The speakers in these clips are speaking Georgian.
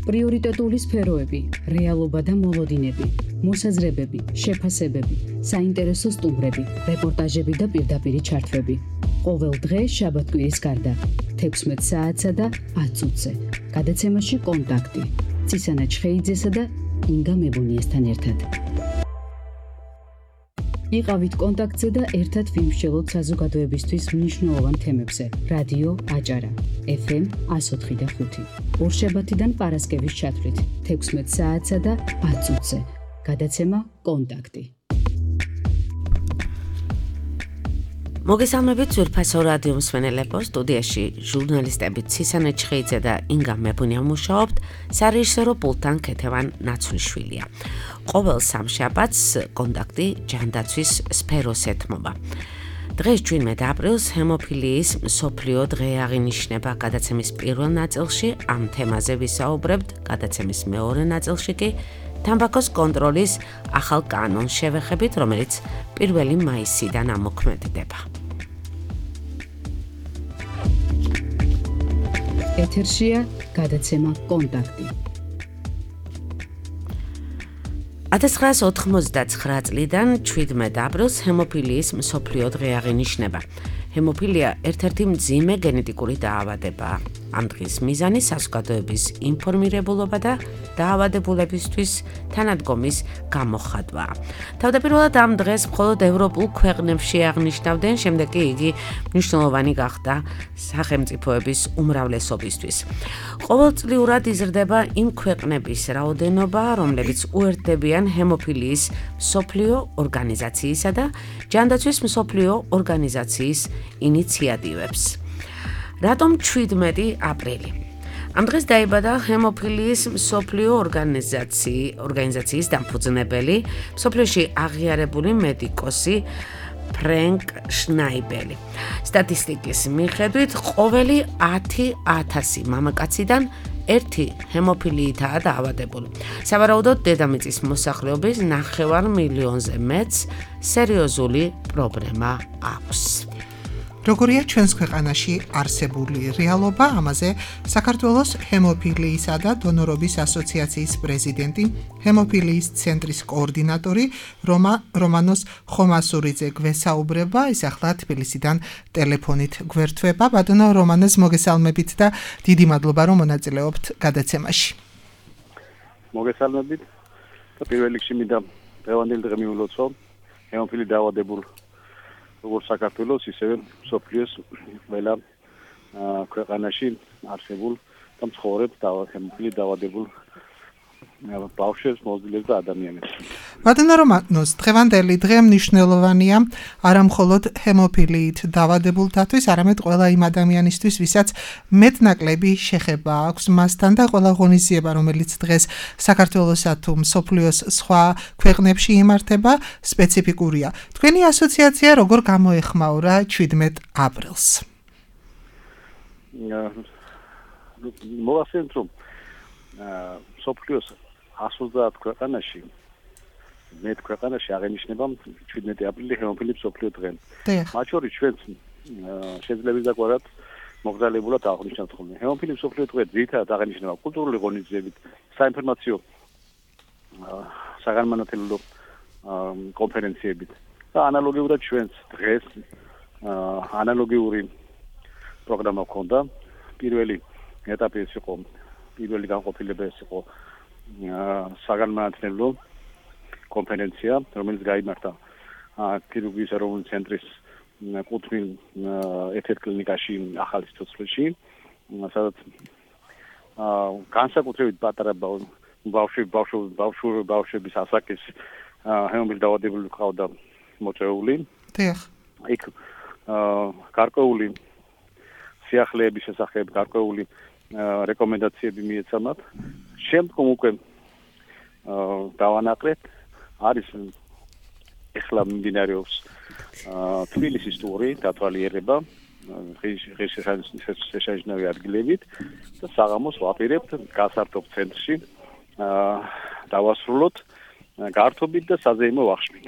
პრიორიტეტული სფეროები, რეალობა და მოლოდინები, მოსაზრებები, შეფასებები, საინტერესო სტუმრები, რეპორტაჟები და პირდაპირი ჩართვები. ყოველ დღე შაბათ-კვირის გარდა 16 საათსა და 10 წუთზე. გადაცემაში კონტაქტი. ცისანა ჩხეიძესა და ინგა მებუნიესთან ერთად. იყავით კონტაქტზე და ერთად ვიმსჯელოთ საზოგადოებისთვის მნიშვნელოვან თემებზე. რადიო აჭარა, FM 104.5. ორშაბათიდან პარასკევის ჩათვლით 16 საათსა და 10 წუთზე. გადაცემა კონტაქტი. მოგესალმებით ძვირფასო რადიო მსმენელებო, სტუდიაში ჟურნალისტები ცისანა ჩხეიძე და ინგა მებუნია მუშაობთ, სარეჟისორო პულტთან ქეთევან ნაცვლიშვილია. ყოველ სამშაბათს კონტაქტი ჯანდაცვის სფეროს ეთმობა. დღეს 17 აპრილს ჰემოფილიის მსოფლიო დღე აღინიშნება. გადაცემის პირველ ნაწილში ამ თემაზე ვისაუბრებთ, გადაცემის მეორე ნაწილში კი თამბაქოს კონტროლის ახალ კანონს შევეხებით, რომელიც 1 მაისიდან ამოქმედდება. ეთერშია გადაცემა კონტაქტი. 1999 წლიდან 17 აპრილს ჰემოფილიის მსოფლიო დღე აღინიშნება. ჰემოფილია ერთ-ერთი მძიმე გენეტიკური დაავადებაა. ამ დღის მიზანი საზოგადოების ინფორმირებულობა და დაავადებულებისთვის თანადგომის გამოხატვაა. თავდაპირველად ამ დღეს მხოლოდ ევროპულ ქვეყნებში აღნიშნავდნენ, შემდეგ კი იგი მნიშვნელოვანი გახდა სახელმწიფოების უმრავლესობისთვის. ყოველწლიურად იზრდება იმ ქვეყნების რაოდენობა, რომლებიც უერთდებიან ჰემოფილიის მსოფლიო ორგანიზაციისა და ჯანდაცვის მსოფლიო ორგანიზაციის ინიციატივებს. რატომ 17 აპრილი? ამ დღეს დაიბადა ჰემოფილიის მსოფლიო ორგანიზაციის დამფუძნებელი, მსოფლიოში აღიარებული მედიკოსი ფრენკ შნაიბელი. სტატისტიკის მიხედვით, ყოველი 10,000 მამაკაციდან ერთი ჰემოფილიითაა დაავადებული. სავარაუდოდ, დედამიწის მოსახლეობის 9 მილიონზე მეტს სერიოზული პრობლემა აქვს. როგორია ჩვენს ქვეყანაში არსებული რეალობა, ამაზე საქართველოს ჰემოფილიისა და დონორობის ასოციაციის პრეზიდენტი, ჰემოფილიის ცენტრის კოორდინატორი რომანოს ხომასურიძე გვესაუბრება, ის ახლა თბილისიდან ტელეფონით გვერდება. ბატონო რომანოს, მოგესალმებით და დიდი მადლობა, რომ მონაწილეობთ გადაცემაში. მოგესალმებით და პირველ რიგში მინდა დღევანდელი დღე მიულოცო ჰემოფილი დაავადებულ როგორც საქართველოს, ისევე მსოფლიოს ყველა ქვეყანაში არსებულ და მცხოვრებ ჰემოფილი დაავადებულ ბავშვებს, მოზრდილებს და ადამიანებს. ბატონო რომანოს, დღევანდელი დღე მნიშვნელოვანია არა მხოლოდ ჰემოფილიით დაავადებულთათვის, არამედ ყველა იმ ადამიანისთვის, ვისაც მეტნაკლები შეხება აქვს მასთან და ყველა ღონისძიება, რომელიც დღეს საქართველოსა თუ მსოფლიოს სხვა ქვეყნებში იმართება, სპეციფიკურია. თქვენი ასოციაცია როგორ გამოეხმაურა 17 აპრილს? მოვახსენოთ, რომ მსოფლიოს 130 ქვეყანაში აღინიშნება 17 აპრილი ჰემოფილიის მსოფლიო დღე. მათ შორის ჩვენც შეიძლება ვიზაკვარად მოგზაურობულად აღნიშნავთ ხოლმე. ჰემოფილიის მსოფლიო დღე ძირითადად აღინიშნება კულტურული ღონისძიებით, საინფორმაციო საგანმანათლებლო კონფერენციებით და ანალოგიურად ჩვენც დღეს ანალოგიური პროგრამა ჰქონდა. პირველი ეტაპი ეს იყო, პირველი განყოფილება ეს იყო საგანმანათლებლო კონფერენცია, რომელიც გაიმართა ქირურგიის ეროვნული ცენტრის კუთვნილ ერთ-ერთ კლინიკაში ახალი სიცოცხლეში, სადაც განსაკუთრებით პატარა ბავშვების ასაკის ჰემოფილის დაავადებული ყავდა მოწვეული. იქ გარკვეული სიახლეების შესახებ გარკვეული რეკომენდაციები მიეცემათ. შემდგომ უკვე დავანაკლეთ, არის ეხლა მიმდინარეობს თბილისის ტური, დათვალიერება ღირსშესანიშნავი ადგილებით და საღამოს ვაპირებთ გასართობ ცენტრში დავასრულოთ გართობით და საზეიმო ვახშმით.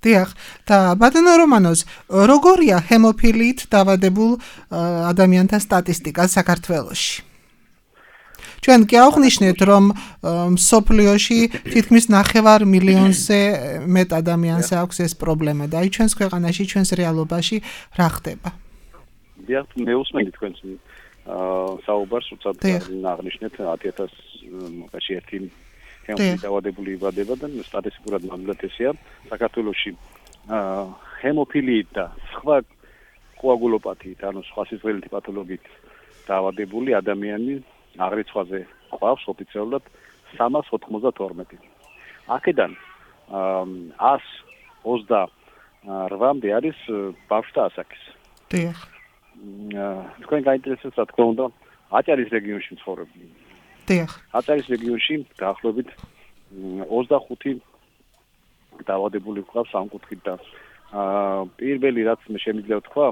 დიახ, და ბატონო რომანოს, როგორია ჰემოფილიით დაავადებულ ადამიანთა სტატისტიკა საქართველოში? ჩვენ კი აღვნიშნეთ, რომ სოფლიოში თითქმის 9 მილიონზე მეტ ადამიანს აქვს ეს პრობლემა და აი ჩვენს ქვეყანაში, ჩვენს რეალობაში რა ხდება? დიახ, მე უსმენდი თქვენს საუბარს, უცად აღნიშნეთ 10,000 მოკაში ერთი ჰემოფილი დაავადებული იბადება და სტატისტიკურად ნამდვილად ესეა. საქართველოში ჰემოფილიით და სხვა კოაგულოპათიით, ანუ სხვა სისხლითი პათოლოგიით დაავადებული ადამიანი აღრიცხვაზე ყავს ოფიციალურად 392. აქედან 128-მდე არის ბავშვთა ასაკის. დიახ. თქვენ გაინტერესებს, რა თქმა უნდა, აჭარის რეგიონში მცხოვრები. დიახ. აჭარის რეგიონში დაახლოებით 25 დაავადებული ყავს ამ კუთხით და პირველი რაც მე შემიძლია ვთქვა,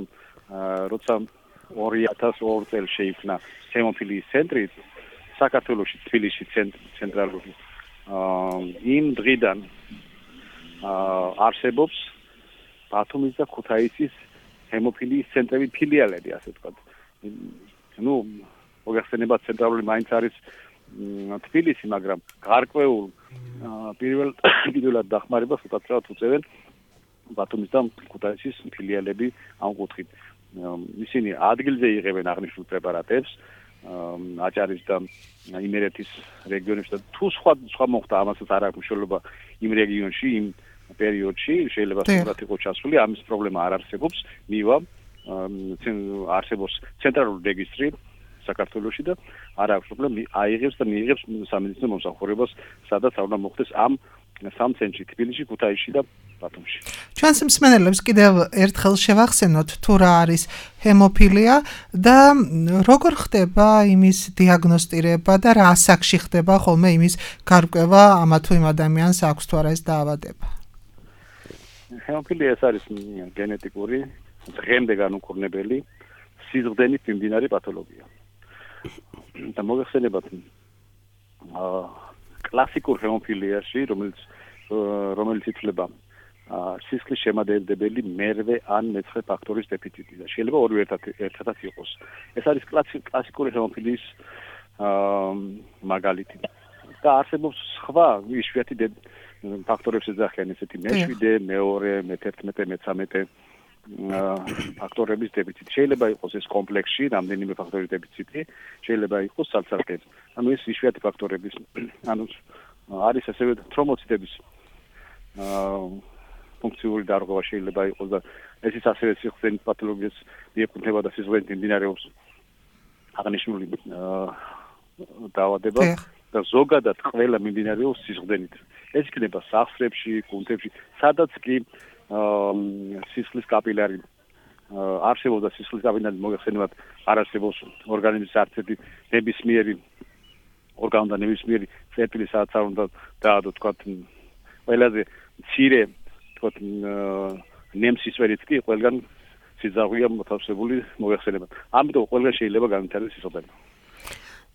როცა 2002 წელს შეიქმნა ჰემოფილიის ცენტრი საქართველოში, თბილისში ცენტრალური. იმ დღიდან არსებობს ბათუმის და ქუთაისის ჰემოფილიის ცენტრები, ფილიალები, ასე ვთქვათ. ნუ მოგეხსენება ცენტრალური მაინც არის თბილისი, მაგრამ გარკვეულ პირველად დახმარებას უკაცრავად უწევენ ბათუმის და ქუთაისის ფილიალები ამ კუთხით. ისინი ადგილზე იღებენ აღნიშნულ პრეპარატებს აჭარის და იმერეთის რეგიონებში და თუ სხვა მოხდა ამასაც არ აქვს მნიშვნელობა იმ რეგიონში, იმ პერიოდში შეიძლება სწორად იყოს ჩასული, ამის პრობლემა არ არსებობს. მივა არსებობს ცენტრალური რეგისტრი საქართველოში და არ აქვს პრობლემა, აიღებს და მიიღებს სამედიცინო მომსახურებას, სადაც არ უნდა მოხდეს ამ სამ ცენტრში, თბილისში, ქუთაისში და ბათუმში. ჩვენს მსმენელებს კიდევ ერთხელ შევახსენოთ თუ რა არის ჰემოფილია და როგორ ხდება იმის დიაგნოსტირება და რა ასაკში ხდება ხოლმე იმის გარკვევა ამა თუ იმ ადამიანს აქვს თუ არა ეს დაავადება. ჰემოფილია ეს არის გენეტიკური, დღემდე განუკურნებელი სიზრდენით მიმდინარე პათოლოგია. და მოგეხსენებათ კლასიკურ ჰემოფილიაში, რომელიც ითვლება სისხლის შემადგენლებელი მერვე ან მეცხრე ფაქტორის დეფიციტი და შეიძლება ორივე ერთადაც იყოს. ეს არის კლასიკური ჰემოფილიის მაგალითი. და არსებობს სხვა იშვიათი ფაქტორებს ეძახიან ესეთი მე7, მე2, მე11, მე13 ფაქტორების დეფიციტი. შეიძლება იყოს ეს კომპლექსში რამდენიმე ფაქტორის დეფიციტი, შეიძლება იყოს ცალ-ცალკე. ანუ ეს იშვიათი ფაქტორების, ანუ არის ასევე თრომბოციტების ფუნქციური დარღვევა შეიძლება იყოს და ეს ის ასევე სისხლის პათოლოგიას მიეკუთვნება და სისხლით მიმდინარეობს აღნიშნული დაავადება და ზოგადად ყველა მიმდინარეობს სისხლით. ეს იქნება სახსრებში, კუნთებში, სადაც კი სისხლის კაპილარი არსებობს და სისხლის კაპილარი მოგეხსენებათ არ არსებობს ორგანიზმის არც ერთი ნებისმიერი ორგანო და ნებისმიერი წერტილი სადაც არ უნდა დაადო თქვათ ყველაზე მცირე თქვათ ნემსისფერიც კი ყველგან სიძაღვია მოთავსებული მოგეხსენებათ. ამიტომ ყველგან შეიძლება განვითარდეს სისხლდენა.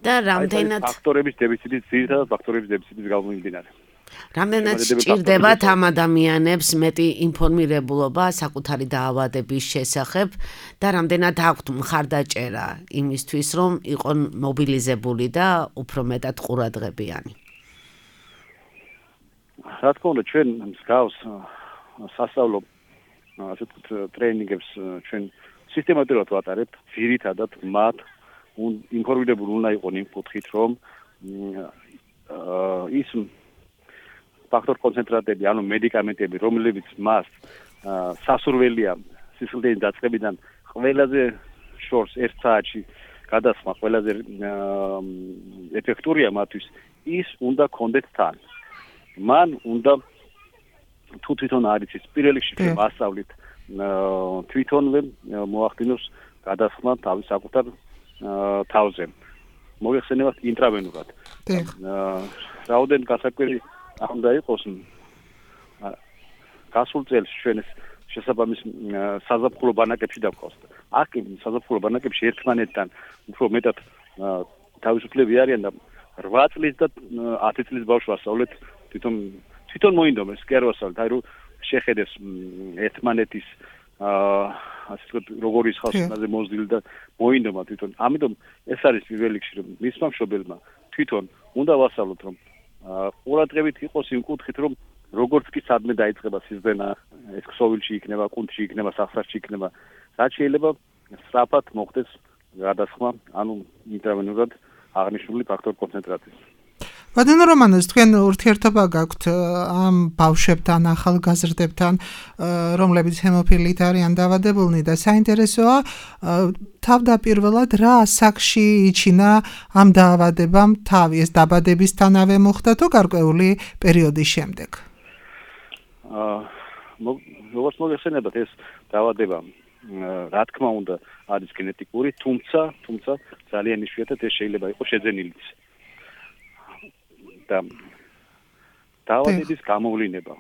და რამდენად ფაქტორების დეფიციტის ძირითადად ფაქტორების დეფიციტის გამომდინარე. რამდენად სჭირდებათ ამ ადამიანებს მეტი ინფორმირებულობა საკუთარი დაავადების შესახებ და რამდენად აქვთ მხარდაჭერა იმისთვის, რომ იყონ მობილიზებული და უფრო მეტად ყურადღებიანი? რა თქმა უნდა, ჩვენ მსგავს სასწავლო ასე ვთქვათ ტრეინინგებს ჩვენ სისტემატურად ვატარებთ, ძირითადად მათ ინფორმირებული უნდა იყონ იმ კუთხით, რომ ის ფაქტორ კონცენტრატები, ანუ მედიკამენტები, რომლებიც მას სასურველია სისხლდენის დაწყებიდან ყველაზე შორს 1 საათში გადასხმა ყველაზე ეფექტურია მათთვის, ის უნდა კონდეთ თან. მან უნდა თუ თვითონ არის ის პირველ რიგში მასწავლით თვითონვე მოახდინოს გადასხმა თავის საკუთარ თავზე. მოგეხსენებათ ინტრავენურად. რაოდენ გასაკვირი არ უნდა იყოს გასულ წელს ჩვენ შესაბამის საზაფხულო ბანაკებში დავყავთ. აქ საზაფხულო ბანაკებში ერთმანეთთან უფრო მეტად თავისუფლები არიან და 8 წლის და 10 წლის ბავშვს ვასწავლეთ თვითონ მოინდომეს კი არ ვასწავლეთ, აი რომ შეხედეს ერთმანეთის ასე ვთქვათ, როგორი ხალხზე მოზრდილი და მოინდომა თვითონ. ამიტომ ეს არის პირველ რიგში, რომ მისმა მშობელმა თვითონ უნდა ვასწავლოთ, რომ ყურადღებით იყოს იმ კუთხით, რომ როგორც კი სადმე დაიწყება სიზდენა, ეს ქსოვილში იქნება, კუნთში იქნება, სახსრაში იქნება, რაც შეიძლება სწრაფად მოხდეს გადასხმა, ანუ ინტრავენურად აღნიშნული ფაქტორ კონცენტრაციის. ბატონო რომანოზ, თქვენ ურთიერთობა გაქვთ ამ ბავშვებთან, ახალგაზრდებთან, რომლებიც ჰემოფილიით არიან დაავადებულნი და საინტერესოა თავდაპირველად რა ასაკში იჩინა ამ დაავადებამ თავი, ეს დაბადებისთანავე მოხდა თუ გარკვეული პერიოდის შემდეგ? როგორც მოგეხსენებათ, ეს დაავადება რა თქმა უნდა არის გენეტიკური, თუმცა ძალიან იშვიათად ეს შეიძლება იყოს შეძენილიც. და დაავადების გამოვლინება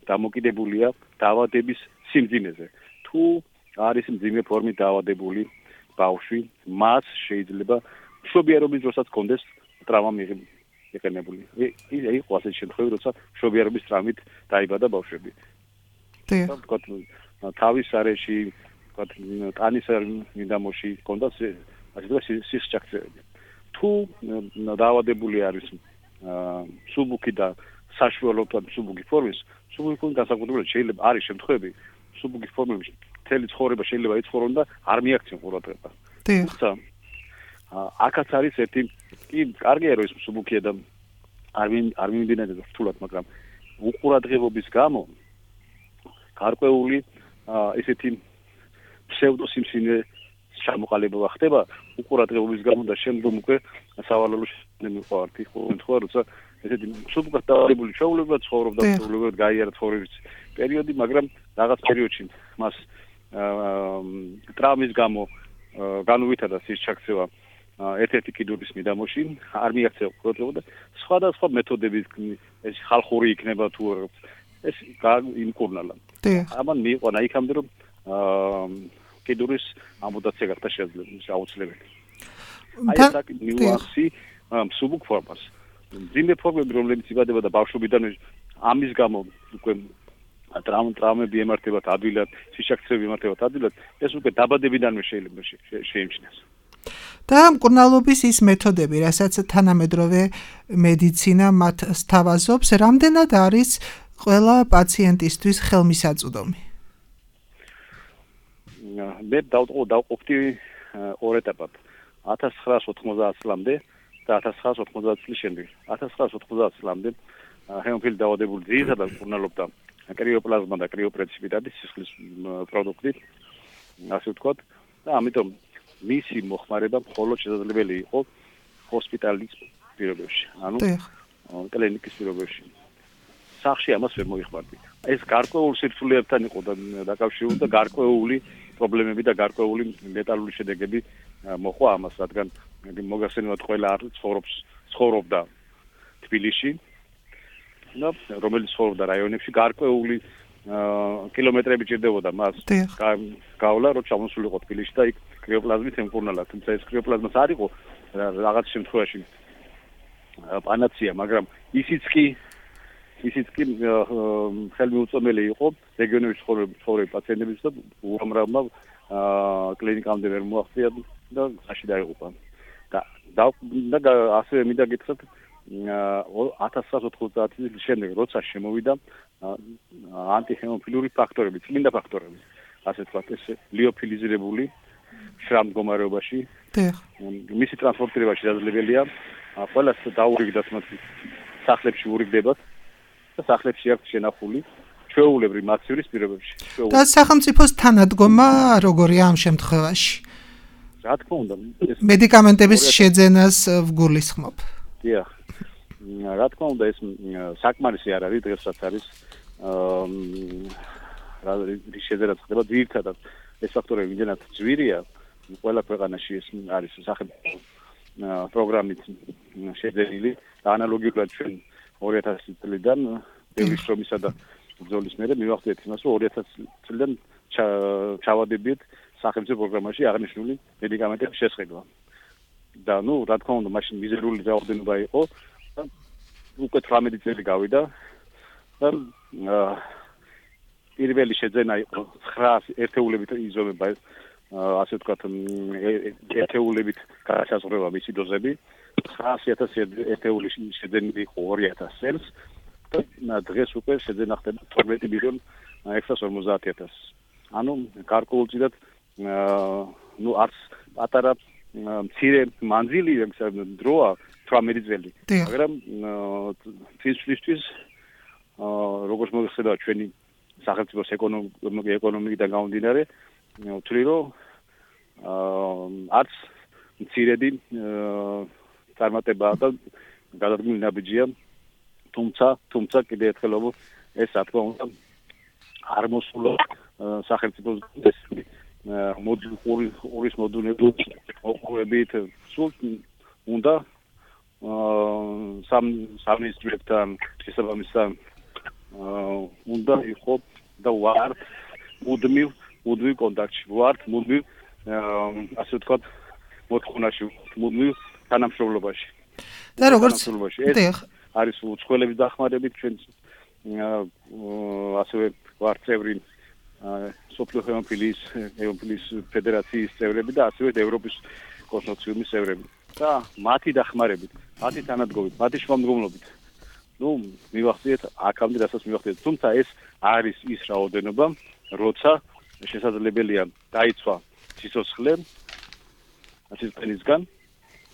დამოკიდებულია დაავადების სიმძიმეზე. თუ არის მძიმე ფორმით დაავადებული ბავშვი, მას შეიძლება მშობიარობის დროსაც კონდეს ტრავმა მიღებული. იყო ასეთი შემთხვევები, როცა მშობიარობის ტრავმით დაიბადა ბავშვები. თავის არეში, ტანის მიდამოში კონდა სისჭაქცევები. თუ დაავადებული არის სუბუქი და საშუალო სუბუქი ფორმის, სუბუქი ფორმის განსაკუთრებით შეიძლება არის შემთხვევები, სუბუქი ფორმებში მთელი ცხოვრება შეიძლება იცხოვრონ და არ მიაქცენ ყურადღება. თუმცა აქაც არის ერთი კი კარგია რომ ეს სუბუქია და არ მიმდინარეობს რთულად, მაგრამ უყურადღებობის გამო გარკვეული ესეთი ფსევდოსიმსინე ჩამოყალიბება ხდება უყურადღებობის გამო და შემდგომ უკვე სავალალო შემოყვარდი ხო როცა ესეთი სუბუქად დაავადებული ჩვეულებრივად ცხოვრობდა ჩვეულებრივად გაიარა ცხოვრების პერიოდი, მაგრამ რაღაც პერიოდში მას ტრავმის გამო განუვითარდა სისჩაქცევა ერთ-ერთი კიდურის მიდამოში, არ მიაქცევა ყურადღება და სხვადასხვა მეთოდებით ეს ხალხური იქნება თუ ეს იმკურნალა. ამან მიიყვანა იქამდე რომ კიდურის ამპუტაცია გახდა აუცილებელი. აი ეს ნიუანსი სუბუქ ფორმას. მძიმე ფორმები, რომლებიც იბადებოდა ბავშვობიდან, ამის გამო უკვე ტრავმები ემართებათ ადვილად, სისჩაქცევები ემართებათ αδვილად, ეს უკვე დაბადებიდანვე შეიძლება შეიმჩნიოს. და მკურნალობის ის მეთოდები, რასაც თანამედროვე მედიცინა მათ სთავაზობს, რამდენად არის ყველა პაციენტისთვის ხელმისაწვდომი? მე დავყოფდი ორ ეტაპად. 1990 წლამდე და 1990 წლის შემდეგ. 1990 წლამდე ჰემოფილი დაავადებული ძირითადად მკურნალობდა კრიოპლაზმა და კრიოპრეციპიტატი სისხლის პროდუქტით, ასე ვთქვათ, და ამიტომ მისი მოხმარება მხოლოდ შესაძლებელი იყო ჰოსპიტალის პირობებში, ანუ კლინიკის პირობებში. სახში ამას ვერ მოიხმარდით. ეს გარკვეულ სირთულეებთან იყო დაკავშირებული და გარკვეული პრობლემები და გარკვეული ლეტალური შედეგები მოყვა ამას, რადგან მოგახსენებათ ყველა ცხოვრობდა თბილისში, რომელიც ცხოვრობდა რაიონებში, გარკვეული კილომეტრები ჭირდებოდა მას გავლა, რომ ჩამოსულიყო თბილისში და იქ კრიოპლაზმით ემკურნალა. თუმცა ეს კრიოპლაზმაც არ იყო რაღაც შემთხვევაში პანაცია, მაგრამ ისიც კი ხელმიუწვდომელი იყო რეგიონების ცხოვრები პაციენტების და უამრავმა კლინიკამდე ვერ მოაღწია და გზაში დაიღუპა. და ასევე მინდა გითხრათ 1990 წლის შემდეგ, როცა შემოვიდა ანტიჰემოფილური ფაქტორები, წმინდა ფაქტორები, ასე ვთქვათ, ეს ლიოფილიზირებული შრამდგომარეობაში, მისი ტრანსპორტირება შესაძლებელია, ყველას დაურიგდათ მათ სახლებში ურიგდებათ და სახლებში აქვს შენახული ჩვეულებრივ მაცივრის პირობებში. და სახელმწიფოს თანადგომა როგორია ამ შემთხვევაში? რა თქმა უნდა, მედიკამენტების შეძენას ვგულისხმობ. დიახ. რა თქმა უნდა, ეს საკმარისი არ არის, დღესაც არის რის შეძენაც ხდება ძირითადად ეს ფაქტორები იმდენად ძვირია, ყველა ქვეყანაში ეს არის სახელმწიფო პროგრამით შეძენილი და ანალოგიურად ჩვენ 2000 წლიდან ბევრი შრომისა და ბრძოლის მერე მივახდით იმას, რომ 2000 წლიდან ჩავადებით სახელმწიფო პროგრამაში აღნიშნული მედიკამენტების შესყიდვა. და რა თქმა უნდა, მაშინ მიზერული რაოდენობა იყო და უკვე 18 წელი გავიდა და პირველი შეძენა იყო 900 ერთეულებით იზომება ეს ასე ვთქვათ ერთეულებით გადასაზღვრება მისი დოზები 900,000 ერთეული შეძენილი იყო 2000 წელს და დღეს უკვე შეძენა ხდება 12,650,000 ანუ გარკვეულწილად არც პატარა მცირე მანძილი დროა 18 წელი მაგრამ თვისთვის როგორც მოიხსნება ჩვენი სახელმწიფოს ეკონომიკიდან გამომდინარე ვთვლი რომ არც მცირედი წარმატებაა და გადადგმული ნაბიჯია თუმცა კიდევ ერთხელ ეს რა თქმა უნდა არ მოსულა სახელმწიფოს მოდულის მოდუნებით სულ უნდა სამინისტროებთან შესაბამისთან უნდა იყო და ვართ მუდმივ კონტაქტში ვართ მუდმივ ასე ვთქვათ მოთხოვნაში მუდმივ თანამშრომლობაში და როგორც არის უცხოელების დახმარებით ჩვენ ასევე ვართ წევრი სოფლიო ჰემოფილიის ფედერაციის წევრები და ასევე ევროპის კონსორციუმის წევრები და მათი დახმარებით, მათი თანადგომით, მათი შრომგომლობით მივახციეთ აქამდე რასაც მივახციეთ. თუმცა ეს არის ის რაოდენობა, როცა შესაძლებელია დაიცვა სიცოცხლე სისტემისგან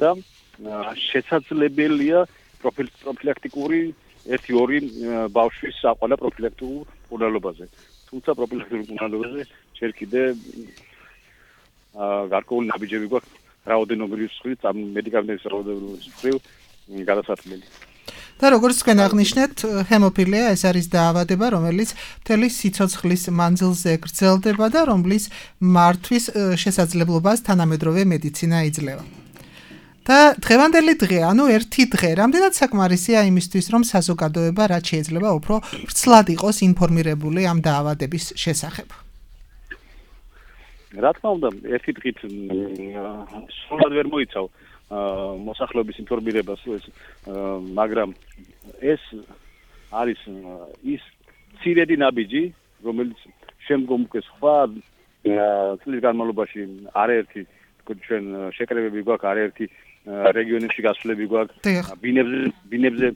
და შესაძლებელია პროფილაქტიკური 1-2 ბავშვის საყვალა პროფილაქტიკურ უნალობაზე. თუმცა პროფილაქტიკურ უნალობაზე ჯერ კიდე გარკვეული ნაბიჯები გვაქვს რაოდენობის მხრივ, მედიკამენტების რაოდენობის მხრივ გადასაწყვეტილი. და როგორც თქვენ აღნიშნეთ, ჰემოფილია ეს არის დაავადება, რომელიც მთელი სიცოცხლის მანძილზე გრძელდება და რომლის მართვის შესაძლებლობას თანამედროვე მედიცინა იძლევა. და დღევანდელი დღე, ანუ ერთი დღე, რამდენად საკმარისია იმისთვის, რომ საზოგადოება რაც შეიძლება უფრო ვრცლად იყოს ინფორმირებული ამ დაავადების შესახებ. რა თქმა უნდა, ერთი დღით სულად ვერ მოიცავ მოსახლეობის ინფორმირებას, მაგრამ ეს არის ის ცირედი ნაბიჯი, რომელიც შემდგომ უკვე სხვა წლის განმავლობაში არაერთი ჩვენ შეკრებები გვაქვს, არაერთი რეგიონებში გასვლები გვაქვს, ბინებზე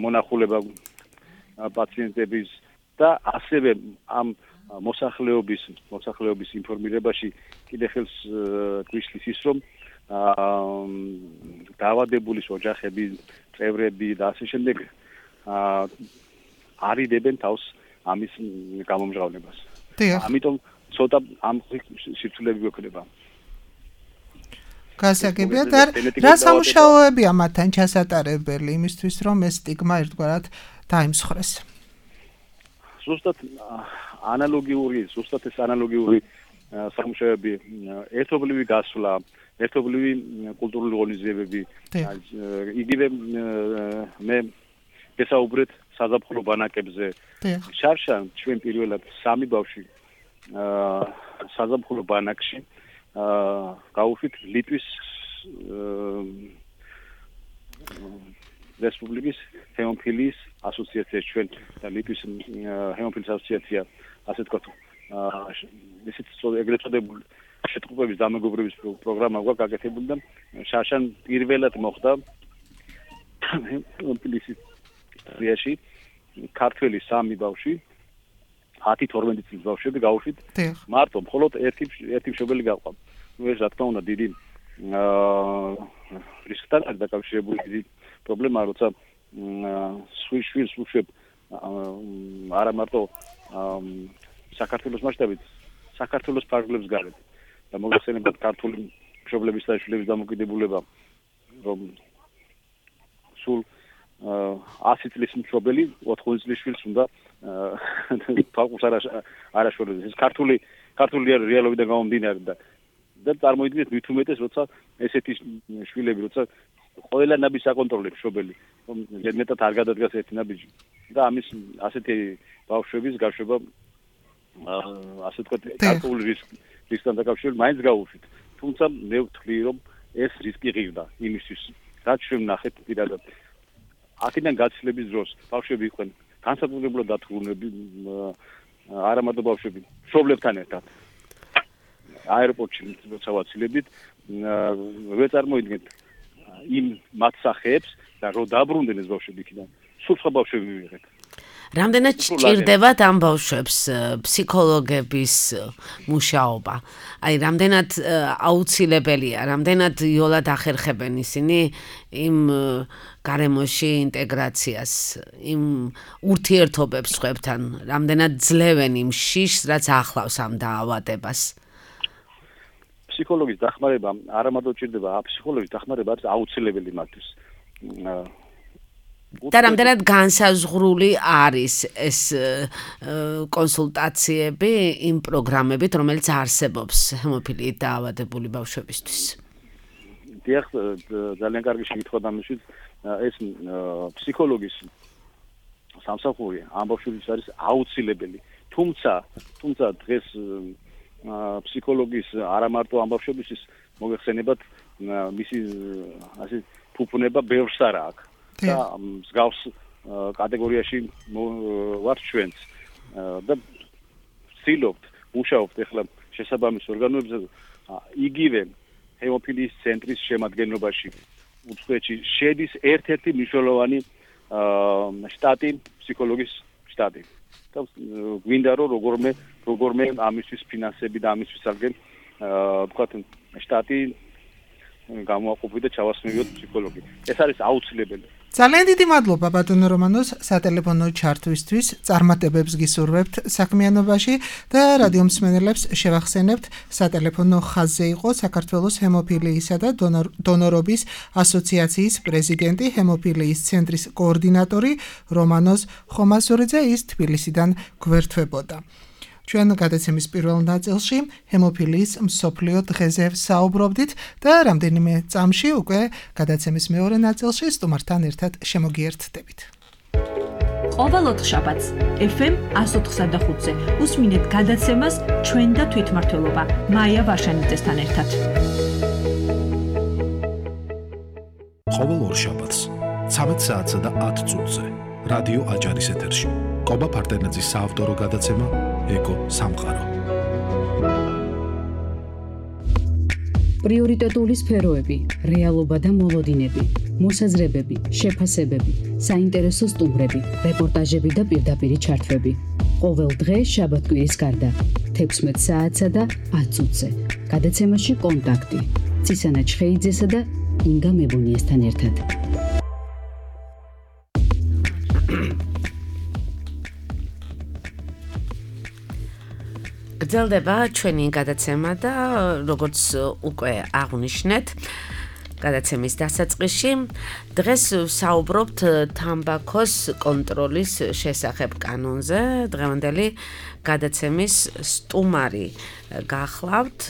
მონახულება პაციენტების და ასევე ამ მოსახლეობის ინფორმირებაში კიდე ხელს გვიშლის ის რომ დაავადებულის ოჯახები, წევრები და ასე შემდეგ არიდებენ თავს ამის გამომჟღავნებას. ამიტომ ცოტა ამ სიცოცხლეები გვექნება. გასაგებია და რა სამუშაოებია მათთან ჩასატარებელი იმისთვის რომ ეს სტიგმა ერთგვარად დაიმსხვრეს. ზუსტად ეს ანალოგიური სამუშაოები, ერთობლივი გასვლა, ერთობლივი კულტურული ღონისძიებები, იგივე მე გესაუბრეთ საზაფხულო ბანაკებზე. შარშან ჩვენ პირველად 3 ბავშვი საზაფხულო ბანაკში გავუშვით ლიტვის რესპუბლიკის ჰემოფილიის ასოციაციაში ჩვენ და ლიტვის ჰემოფილიის ასოციაცია ასე ვთქვათ ისეთ ეგრეთ წოდებული შეტყობების დამეგობრების პროგრამა გვაქვს გაკეთებული და შარშან პირველად მოხდა ჰემოფილიის ისტორიაში ქართველი 3 ბავშვი 10-12 წლის ბავშვები გავუშვით მარტო მხოლოდ ერთი მშობელი გაყვა. ეს რა თქმა უნდა დიდი რისკთან დაკავშირებული პრობლემაა, როცა შვილს უშვებ არა მარტო საქართველოს მასშტაბით, საქართველოს ფარგლებს გარეთ და მოგხსენებათ ქართული მშობლების და შვილების დამოკიდებულება, რომ სულ 100 წლის მშობელი 80 წლის შვილს უნდა ფარგლებს არაშორდეს. ეს ქართული რეალობიდან გამომდინარე და წარმოიდგინეთ მით უმეტეს, როცა ესეთი შვილები, როცა ყველა ნაბიჯს აკონტროლებს მშობელი, რომ მეტად არ გადადგას ერთი ნაბიჯი და ამის ასეთი ბავშვების გაშვება ასე ვთქვათ გარკვეული რისკთან დაკავშირებით მაინც გავუშვით. თუმცა მე ვთვლი, რომ ეს რისკი ღირდა იმისთვის, რაც ჩვენ ვნახეთ პირადად. აქედან გაცილების დროს ბავშვები იყვნენ განსაკუთრებულად დათრგუნები არა მარტო ბავშვები, მშობლებთან ერთად აეროპორტში როცა ვაცილებდით, ვერ წარმოიდგენთ იმ მათ სახეებს და რო დაბრუნდნენ ეს ბავშვები იქიდან, სულ სხვა ბავშვები მივიღეთ. რამდენად სჭირდებათ ამ ბავშვებს ფსიქოლოგების მუშაობა? აი, რამდენად აუცილებელია, რამდენად იოლად ახერხებენ ისინი იმ გარემოში ინტეგრაციას, იმ ურთიერთობებს სხვებთან, რამდენად ძლევენ იმ შიშს, რაც ახლავს ამ დაავადებას? ფსიქოლოგის დახმარება არა მარტო ჭირდება, ფსიქოლოგის დახმარება არის აუცილებელი მათთვის. და რამდენად განსაზღვრული არის ეს კონსულტაციები იმ პროგრამებით, რომელიც არსებობს ჰემოფილიით დაავადებული ბავშვებისთვის? დიახ, ძალიან კარგი შეკითხვა დამისვით. ეს ფსიქოლოგის სამსახური ამ ბავშვების არის აუცილებელი. თუმცა დღეს ფსიქოლოგის არა მარტო ამ ბავშვებისთვის მოგეხსენებათ მისი ასე ფუფუნება ბევრს არა აქვს. და მსგავს კატეგორიაში ვართ ჩვენც და ვცდილობთ, მუშაობთ ახლა შესაბამის ორგანოებზე იგივე ჰემოფილიის ცენტრის შემადგენლობაში უცხოეთში შედის ერთ-ერთი მნიშვნელოვანი შტატი, ფსიქოლოგის შტატი. და გვინდა რომ როგორმე ამისთვის ფინანსები და ამისთვის აღგენ ვთქვათ შტატი გამოაყოფი და ჩავასმევიოთ ფსიქოლოგი. ეს არის აუცილებელი. ძალიან დიდი მადლობა ბატონო რომანოს სატელეფონო ჩართვისთვის, წარმატებებს გისურვებთ საქმიანობაში და რადიო მსმენელებს შევახსენებთ სატელეფონო ხაზზე იყო საქართველოს ჰემოფილიისა და დონორობის ასოციაციის პრეზიდენტი, ჰემოფილიის ცენტრის კოორდინატორი რომანოს ხომასურიძე, ის თბილისიდან გვერდთვებოდა. ჩვენ გადაცემის პირველ ნაწილში ჰემოფილიის მსოფლიო დღეზე საუბრობდით და რამდენიმე წამში უკვე გადაცემის მეორე ნაწილში სტუმართან ერთად შემოგიერთდებით. ყოველ ოთხშაბათს FM 104.5-ზე უსმინეთ გადაცემას ჩვენ და თვითმმართველობა მაია ვარშანიძესთან ერთად. ყოველ ორშაბათს 13 საათსა და 10 წუთზე რადიო აჭარის ეთერში კობა ფარტენაძის საავტორო გადაცემა ეკო სამყარო. პრიორიტეტული სფეროები, რეალობა და მოლოდინები, მოსაზრებები, შეფასებები, საინტერესო სტუმრები, რეპორტაჟები და პირდაპირი ჩართვები. ყოველ დღე შაბათ-კვირის გარდა 16 საათსა და 10 წუთზე. გადაცემაში კონტაქტი ცისანა ჩხეიძესა და ინგა მებუნიესთან ერთად. გრძელდება ჩვენი გადაცემა და როგორც უკვე აღვნიშნეთ, გადაცემის დასაწყისში დღეს საუბრობთ თამბაქოს კონტროლის შესახებ კანონზე. დღევანდელი გადაცემის სტუმარი გახლავთ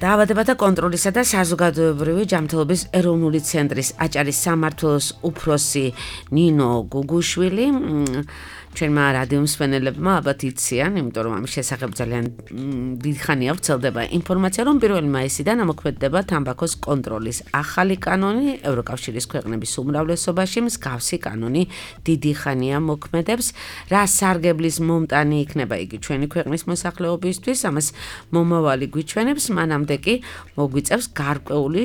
დაავადებათა კონტროლისა და საზოგადოებრივი ჯანმრთელობის ეროვნული ცენტრის აჭარის სამმართველოს უფროსი ნინო გუგუშვილი. ჩვენმა რადიო მსმენელებმა ალბათ იციან, იმიტომ რომ ამის შესახებ ძალიან დიდი ხანია ვრცელდება ინფორმაცია, რომ 1 მაისიდან ამოქმედდება თამბაქოს კონტროლის ახალი კანონი. ევროკავშირის ქვეყნების უმრავლესობაში მსგავსი კანონი დიდი ხანია მოქმედებს. რა სარგებლის მომტანი იქნება იგი ჩვენი ქვეყნის მოსახლეობისთვის, ამას მომავალი გვიჩვენებს, მანამდე კი მოგვიწევს გარკვეული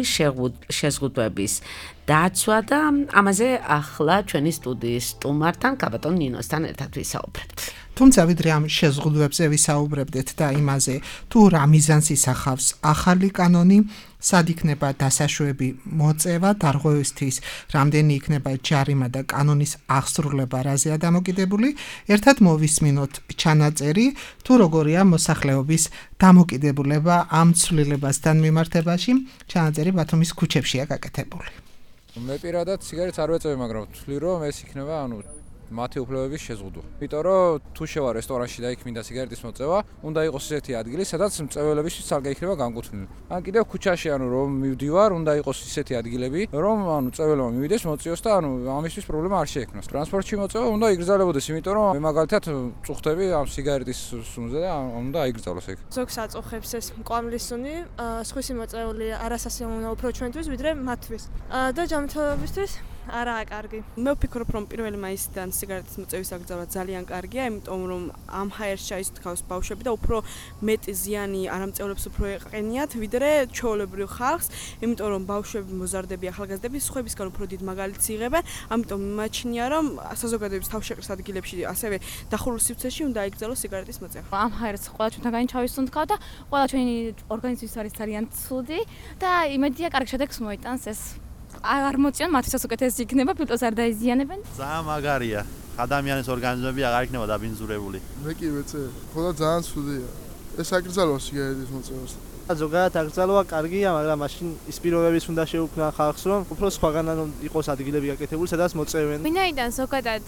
შეზღუდვების დაცვა და ამაზე ახლა ჩვენი სტუდიის სტუმართან კაბატონ ნინოსთან ერთად ვისაუბრებთ. თუმცა ვიდრე ამ შეზღუდვებზე ვისაუბრებდეთ და იმაზე, თუ რა მიზანს ისახავს ახალი კანონი, სად იქნება დასაშვები მოწევა, დარღვევისთვის, რამდენი იქნება ჯარიმა და კანონის აღსრულება რაზეა დამოკიდებული, ერთად მოვისმინოთ ჩანაწერი, თუ როგორია მოსახლეობის დამოკიდებულება ამ ცვლილებასთან მიმართებაში. ჩანაწერი ბათუმის ქუჩებშია გაკეთებული. მე პირადად სიგარეტს არ ვეწევი, მაგრამ ვთვლი რომ ეს იქნება, მათი უფლებების შეზღუდვა. იმიტომ რომ თუ შევა რესტორანში და იქ მინდა სიგარეტის მოწევა, უნდა იყოს ისეთი ადგილი, სადაც მწეველებისთვის სალგე იქნება განკუთვნილი. ან კიდევ ქუჩაში რომ მივდივარ, უნდა იყოს ისეთი ადგილები, რომ მწეველმა მივიდეს, მოწიოს და ამისთვის პრობლემა არ შეექმნას. ტრანსპორტში მოწევა უნდა იგრძელებოდეს, იმიტომ რომ მე მაგალითად წუხდები ამ სიგარეტის სუნზე და უნდა აიგრძელოს ეგ. ზოგს აწუხებს ეს მკვამლის სუნი, სხვისი მოწეული არასასიამოვნო უფრო ჩვენთვის, ვიდრე მათთვის. და ჯანმრთელობისთვის არაა კარგი. მე ვფიქრობ, რომ 1 მაისიდან სიგარეტის მოწევის აკრძალვა ძალიან კარგია, იმიტომ რომ ამ ჰაერს ჩაისთქავს ბავშვები და უფრო მეტი ზიანი არამწეულებს უფრო ეყენიათ, ვიდრე ჩვეულებრივ ხალხს, იმიტომ რომ ბავშვები, მოზარდები, ახალგაზრდები სხვებისგან უფრო დიდ მაგალითს იღებენ, ამიტომ მიმაჩნია, რომ საზოგადოების თავშეყრის ადგილებში, ასევე დახურულ სივრცეში უნდა აკრძალოს სიგარეტის მოწევა. ამ ჰაერს ყველა ჩვენთაგანი ჩავისუნთქავ და ყველა ჩვენი ორგანიზმის არის ძალიან ცუდი და იმედია კარგ შედეგს მოიტანს ეს. არ მოწიონ მათთვის უკეთესი იქნება, ფილტვას არ დაიზიანებენ. ძალიან მაგარია. ადამიანის ორგანიზმები აღარ იქნება დაბინძურებული. მე კი ვეცე, ხოლო ძალიან ცუდია. ეს აკრძალვა სიგარეტის მოწევას. ზოგადად აკრძალვა კარგია, მაგრამ მაშინ ის პირობებიც უნდა შეუქმნან ხალხს, რომ უფრო სხვაგანად იყოს ადგილები გაკეთებული, სადაც მოწევენ. ვინაიდან ზოგადად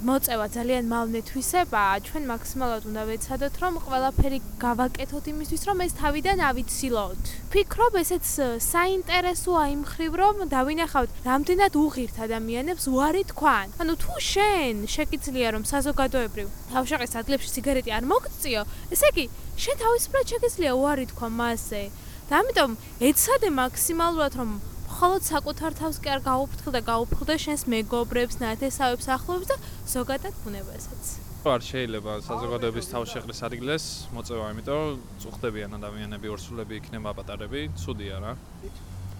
მოწევა ძალიან მავნეთვისებაა, ჩვენ მაქსიმალურად უნდა ვეცადოთ, რომ ყველაფერი გავაკეთოთ იმისთვის, რომ ეს თავიდან ავიცილოთ. ვფიქრობ, ესეც საინტერესოა იმ მხრივ, რომ დავინახავთ, რამდენად უღირთ ადამიანებს უარი თქვან. ანუ თუ შენ შეგიძლია რომ საზოგადოებრივ თავშეყრის ადგილებში სიგარეტი არ მოგწიო, ესე იგი შენ თავისუფლად შეგიძლია უარი თქვა მასზე. და ამიტომ ეცადე მაქსიმალურად რომ მხოლოდ საკუთარ თავს კი არ გაუფრთხილ და გაუფრთხილდე შენს მეგობრებს, ნათესავებს, ახლობლებს და ზოგადად ბუნებასაც. არ შეიძლება საზოგადოების თავშეყრის ადგილას მოწევა, იმიტომ წუხდებიან ადამიანები, ორსულები იქნება პატარები, ცუდია რა.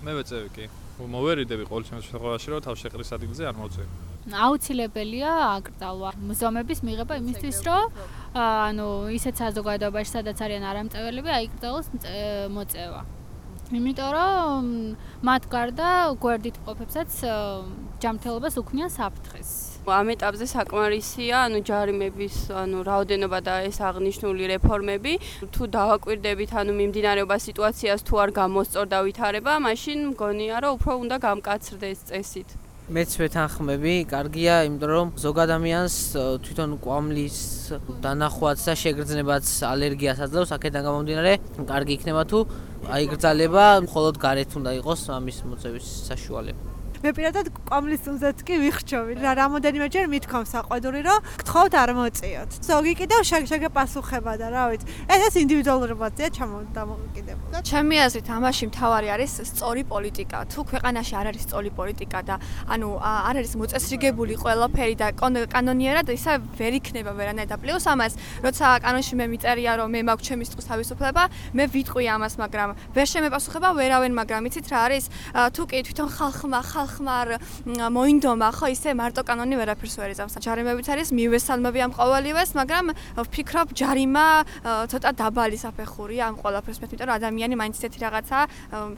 მე ვეწევი კი. მოვერიდები ყოველ შემთხვევაში, რომ თავშეყრის ადგილზე არ მოწევი. აუცილებელია აკრძალვა მუზეუმების მიღება იმისთვის, რომ ანუ ისეთ საზოგადოებაში, სადაც არიან არამწეველები, აიკრძალოს მოწევა. იმიტომ რომ მათ გარდა გვერდით მყოფებსაც ჯანმრთელობას უქმნიან საფრთხეს. ამ ეტაპზე საკმარისია, ჯარიმების, რაოდენობა და ეს აღნიშნული რეფორმები. თუ დავაკვირდებით, მიმდინარეობა სიტუაციას თუ არ გამოსწორ და ვითარება, მაშინ მგონია, რომ უფრო უნდა გამკაცრდეს წესით. მეც ვეთანხმები, კარგია, იმიტომ რომ ზოგ ადამიანს თვითონ კვამლის დანახვაც და შეგრძნებაც ალერგიას აძლევს, აქედან გამომდინარე, კარგი იქნება თუ აიგრძალება, მხოლოდ გარეთ უნდა იყოს ამის მოწევის საშუალება. მე პირადად კვამლის წუნზეც კი ვიხრჩობი. რამოდენიმეჯერ მithქვამ საყვედური, რომ გთხოვთ არ მოწიოთ. ზოგი კიდევ შეგეპასუხება და რა ვიცი. ეს ინდივიდუალური მათია ჩამოდამოკიდებულა. ჩემი აზრით, ამაში მთავარი არის სწორი პოლიტიკა. თუ ქვეყანაში არ არის სწორი პოლიტიკა და არ არის მოწესრიგებული ყველაფერი და კანონიერად ისა ვერ იქნება ვერანაირ პლუს ამას, როცა კანონში მე მიწერია, რომ მე მაქვს ჩემი სიტყვის თავისუფლება, მე ვიტყვი ამას, მაგრამ ვერ შემეპასუხება ვერავენ, მაგრამ იცით რა არის? თუ კი თვითონ ხალხმა მოინდომა, ხო ისე მარტო კანონი ვერაფერს ვერ იზამს. ჯარიმებიც არის მივესალმები ამ ყოველივეს, მაგრამ ვფიქრობ ჯარიმა ცოტა დაბალი საფეხურია ამ ყველაფერს, იმიტომ რომ ადამიანი მაინც ისეთი რაღაცაა,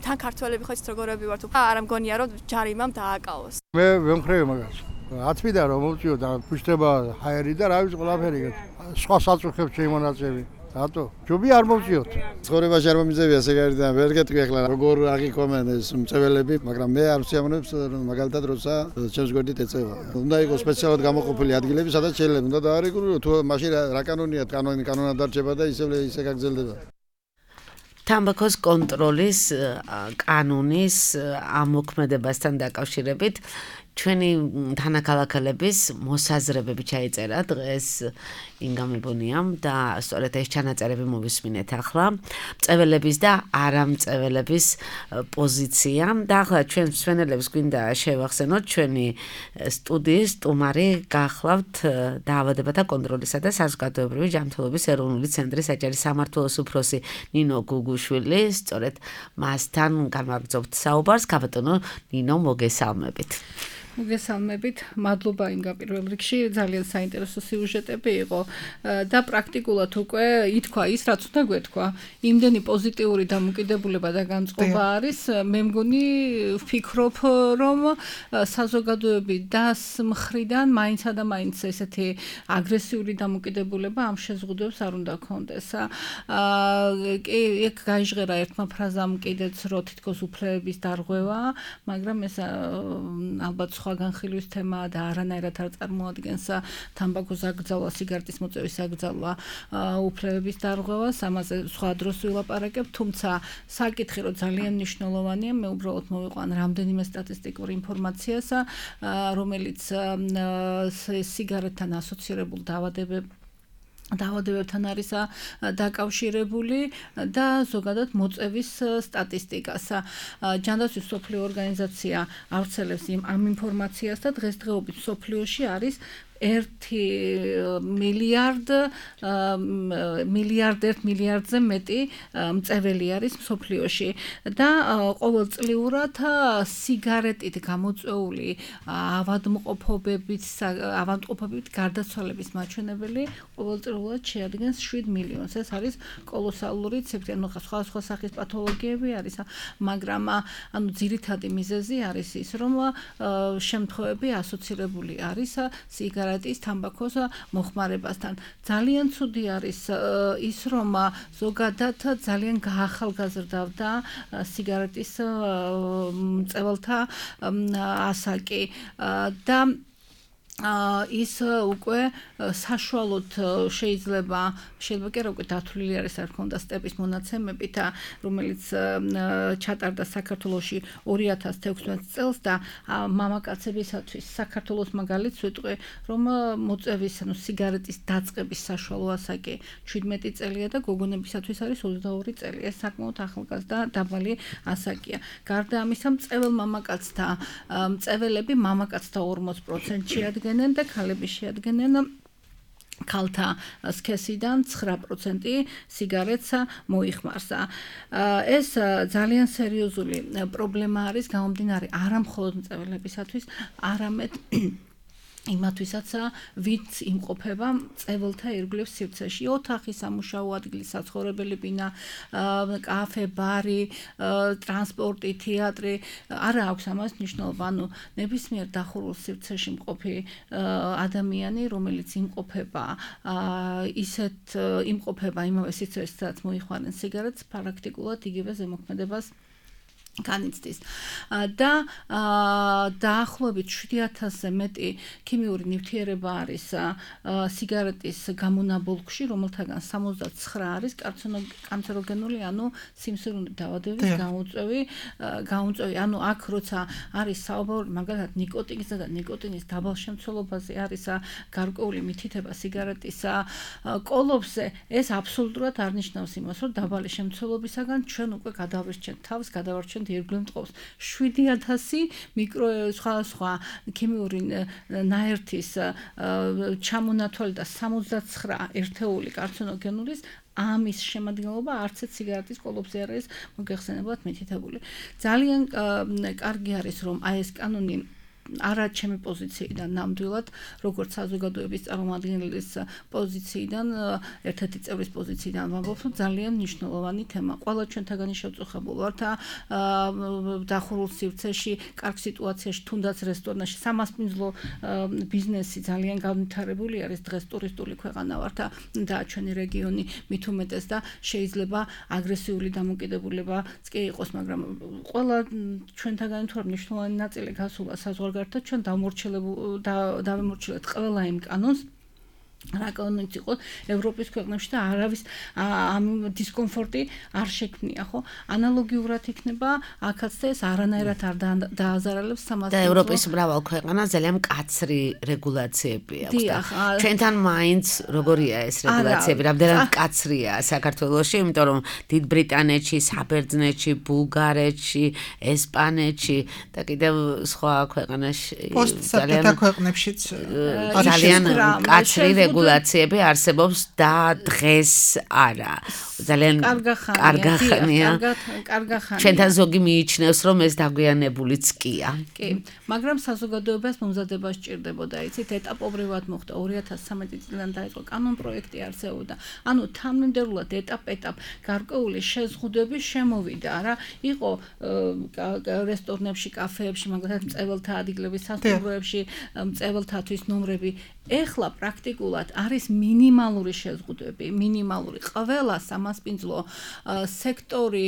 თან ქართველები ხო იცით როგორები ვართ, არ მგონია რომ ჯარიმამ დააკავოს. მე ვემხრევი მაგას. ათვიდან რომ მოვწიო და ფუშტება ჰაერი და რა ვიცი ყველაფერი. სხვა საწუხებს შემონაწევი. რატო? ჯობი არ მოვწიოთ. ცხოვრებაში არ მომიძებია სიგარეტიდან, ვერ გეტყვი ახლა როგორ აღიქვამენ ეს მწეველები, მაგრამ მე არ ვსიამოვნებს მაგალითად როცა ჩემს გვერდით ეწევა. უნდა იყოს სპეციალურად გამოყოფილი ადგილები, სადაც შეიძლება უნდა დაარეგულიროს, თუ მაშინ რა კანონია, კანონად დარჩება და ისე გაგრძელდება. თამბაქოს კონტროლის კანონის ამოქმედებასთან დაკავშირებით ჩვენი თანაქალაქელების მოსაზრებები ჩაიწერა დღეს ინგამებონიამ და სწორედ ეს ჩანაწერები მოვისმინეთ ახლა მწეველების და არამწეველების პოზიცია და ახლა ჩვენ მსვენელებს გვინდა შევახსენოთ ჩვენი სტუდიის სტუმარი გახლავთ დაავადებათა კონტროლისა და საზოგადოებრივი ჯანმრთელობის ეროვნული ცენტრის საჯარის სამმართველოს უფროსი ნინო გუგუშვილი სწორედ მასთან განვაგრძობთ საუბარს გაბატონო ნინო მოგესალმებით მოგესალმებით, მადლობა ინგა პირველ რიგში, ძალიან საინტერესო სიუჟეტები იყო და პრაქტიკულად უკვე ითქვა ის, რაც უნდა გვეთქვა. იმდენი პოზიტიური დამოკიდებულება და განწყობა არის, მე მგონი ვფიქრობ, რომ საზოგადოების დას მხრიდან მაინცა და მაინც ესეთი აგრესიული დამოკიდებულება ამ შეზღუდვებს არ უნდა ქონდეს. ეგ გაიჟღერა ერთმა ფრაზამ კიდეც, რომ თითქოს უფლებების დარღვევა, მაგრამ ეს ალბათ სხვა განხილვის თემაა და არანაირად არ წარმოადგენს თამბაქოს აკრძალვა, სიგარეტის მოწევის აკრძალვა, უფლებების დარღვევას, ამაზე სხვა დროს ვილაპარაკებ, თუმცა საკითხი რომ ძალიან მნიშვნელოვანია, მე უბრალოდ მოვიყვან რამდენიმე სტატისტიკურ ინფორმაციას, რომელიც სიგარეტთან ასოცირებულ დაავადებებს დაავადებებთან არის დაკავშირებული და ზოგადად მოწევის სტატისტიკას. ჯანდაცვის მსოფლიო ორგანიზაცია ავრცელებს ამ ინფორმაციას და დღესდღეობით მსოფლიოში არის 1 მილიარდზე მეტი მწეველი არის მსოფლიოში და ყოველწლიურად სიგარეტით გამოწვეული ავადმყოფობით გარდაცვალების მაჩვენებელი ყოველწლიურად შეადგენს 7 მილიონს. ეს არის კოლოსალური ციფრი, სხვადასხვა სახის პათოლოგიები არის, მაგრამ ძირითადი მიზეზი არის ის, რომ შემთხვევები ასოცირებული არის სიგარეტის, თამბაქოს მოხმარებასთან. ძალიან ცუდი არის ის, რომ ზოგადად ძალიან გაახალგაზრდავდა სიგარეტის მწეველთა ასაკი და ის უკვე საშუალოდ შეიძლება კი რა უკვე დათვლილი არის, არ ქონდა სტეპის მონაცემებით, რომელიც ჩატარდა საქართველოში 2016 წელს და მამაკაცებისათვის საქართველოს მაგალითს ვიტყვი, რომ მოწევის, სიგარეტის დაწყების საშუალო ასაკი 17 წელია და გოგონებისათვის არის 22 წელი. ეს საკმაოდ ახალგაზრდა დაბალი ასაკია. გარდა ამისა, მწეվել მამაკაცთა მწეველები მამაკაცთა 40%-ში შეადგენენ და ქალები შეადგენენ ქალთა სქესიდან 9% სიგარეტს მოიხმარს. ეს ძალიან სერიოზული პრობლემა არის გამომდინარე არა მხოლოდ მწეველებისათვის, არამედ იმათვისაც ვით იმყოფება მწეველთა ირგვლივ სივრცეში. ოთახი, სამუშაო ადგილი, საცხოვრებელი ბინა, კაფე, ბარი, ტრანსპორტი, თეატრი, არა აქვს ამას მნიშვნელობა. ნებისმიერ დახურულ სივრცეში მყოფი ადამიანი, რომელიც იმყოფება იმავე სივრცეში, სადაც მოიხმარენ სიგარეტს, პრაქტიკულად იგივე ზემოქმედებას განიცდის. და დაახლოებით 7000-ზე მეტი ქიმიური ნივთიერება არის სიგარეტის გამონაბოლქვში, რომელთაგან 69 არის კანცეროგენული, სიმსივნური დაავადების გამომწვევი. აქ როცა არის საუბარი მაგალითად ნიკოტინზე და ნიკოტინის დაბალ შემცველობაზე არის გარკვეული მითითება სიგარეტის კოლოფზე, ეს აბსოლუტურად არ ნიშნავს იმას, რომ დაბალი შემცველობისაგან ჩვენ უკვე გადავირჩენთ თავს, გადავარჩენთ ირგვლივ მტყობს. 7000 სხვადასხვა ქიმიური ნაერთის ჩამონათვალი და 69 ერთეული კარცინოგენულის ამის შემადგენლობა არც ერთ სიგარეტის კოლოფზე არ არის მოგეხსენებათ მითითებული. ძალიან კარგი არის, რომ აი ეს კანონი არა ჩემი პოზიციიდან ნამდვილად, როგორც საზოგადოების წარმომადგენლის პოზიციიდან, ერთ-ერთი წევრის პოზიციიდან ვამბობ, რომ ძალიან მნიშვნელოვანი თემა. ყველა ჩვენთაგანი შევწუხებულ ვართ დახურულ სივრცეში, კარგ სიტუაციაში, თუნდაც რესტორნაში, სამასპინძლო ბიზნესი ძალიან განვითარებული არის. დღეს ტურისტული ქვეყანა ვართ და ჩვენი რეგიონი მით უმეტეს და შეიძლება აგრესიული დამოკიდებულებაც კი იყოს, მაგრამ ყველა ჩვენთაგანი თუ მნიშვნელოვანი ნაწილი გასულა საზღვარგარეთ ჩვენ დავემორჩილეთ ყველა იმ კანონს, რა კანონიც იყოს ევროპის ქვეყნებში და არავის ამ დისკომფორტი არ შექმნია, ხო? ანალოგიურად იქნება აქაც და ეს არანაირად არ დააზარალებს სამასპინძლო. და ევროპის მრავალ ქვეყანას ძალიან მკაცრი რეგულაციები აქვს და ჩვენთან მაინც როგორია ეს რეგულაციები, რამდენად მკაცრია საქართველოში, იმიტომ რომ დიდ ბრიტანეთში, საბერძნეთში, ბულგარეთში, ესპანეთში და კიდევ სხვა ქვეყანაში ძალიან ქვეყნებშიც ძალიან მკაცრი რეგულაციები არსებობს და დღეს არა. ძალიან კარგახანია. ჩვენთან ზოგი მიიჩნევს, რომ ეს დაგვიანებულიც კია. კი, მაგრამ საზოგადოებას მომზადება სჭირდებოდა, იცით, ეტაპობრივად მოხდა 2013 წლიდან დაიწყო კანონპროექტი არსებობდა. თანმიმდევრულად ეტაპ-ეტაპ გარკვეული შეზღუდვები შემოვიდა, რა. იყო რესტორნებში, კაფეებში, მაგალითად, მწეველთა ადგილების სასტუმროებში, მწეველთათვის ნომრები. ეხლა პრაქტიკულად არის მინიმალური შეზღუდვები, მინიმალური. ყველა სამასპინძლო სექტორი,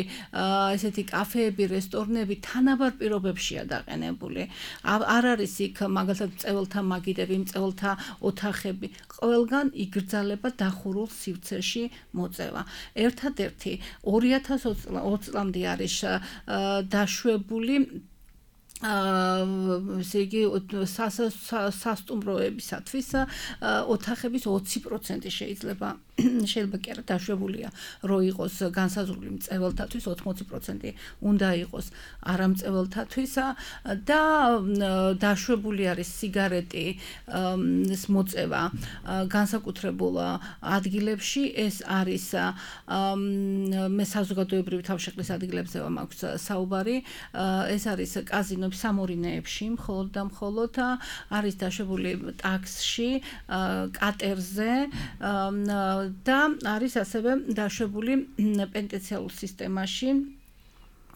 ესეთი კაფეები, რესტორნები თანაბარ პირობებშია დაყენებული. არ არის იქ მაგალითად მწეველთა მაგიდები, მწეველთა ოთახები. ყველგან იგრძალება დახურულ სივრცეში მოწევა. ერთადერთი 2020 წლამდე არის დაშვებული ესე იგი სასტუმროებისათვის ოთახების 20% შეიძლება კი არა დაშვებულია რო იყოს განსაზღვრული მწველთათვის 80% უნდა იყოს არამწველთათვის და დაშვებული არის სიგარეტის მოწევა განსაკუთრებულ ადგილებში ეს არის მე საზოგადოებრივი თავშეყრის ადგილებზე მაქვს საუბარი ეს არის კაზინოების სამორინეებში მხოლოდ და მხოლოდ არის დაშვებული ტაქსში კატერზე და არის ასევე დაშვებული პენტენციალურ სისტემაში